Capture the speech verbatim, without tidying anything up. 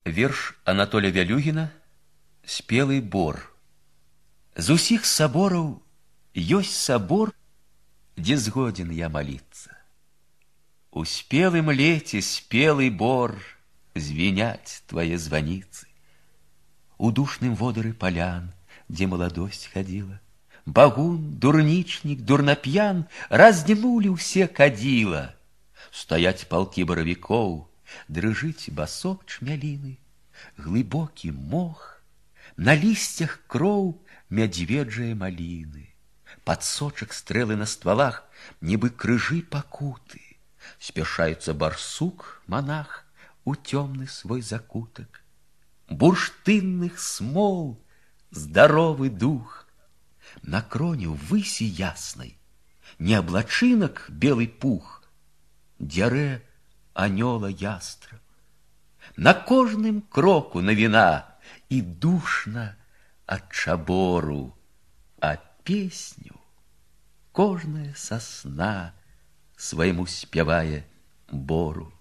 Верш Анатоля Вялюгіна «Спелый бор». З усіх сабораў ёсць сабор, дзе згоден я маліцца. У спелым леце спелый бор звеняць твае званіцы. У душным водары палян, дзе маладосць хадзіла, багун, дурнічнік, дурнап'ян раздзьмулі ўсе кадзіла. Стаяць палкі баравікоў, дрыжыць басок чмяліны, глыбокі мох, на лісцях кроў мядзведжае маліны, падсочак стрэлы на ствалах, нібы крыжы пакуты. Спяшаецца барсук, монах, у цёмны свой закутак. Бурштынных смол здаровы дух. На кроне ўвысі яснай не аблачынак белы пух, дзярэ анёла ястраб. На кожным кроку навіна і душна ад чабору, а песню кожная сасна свайму спявае бору.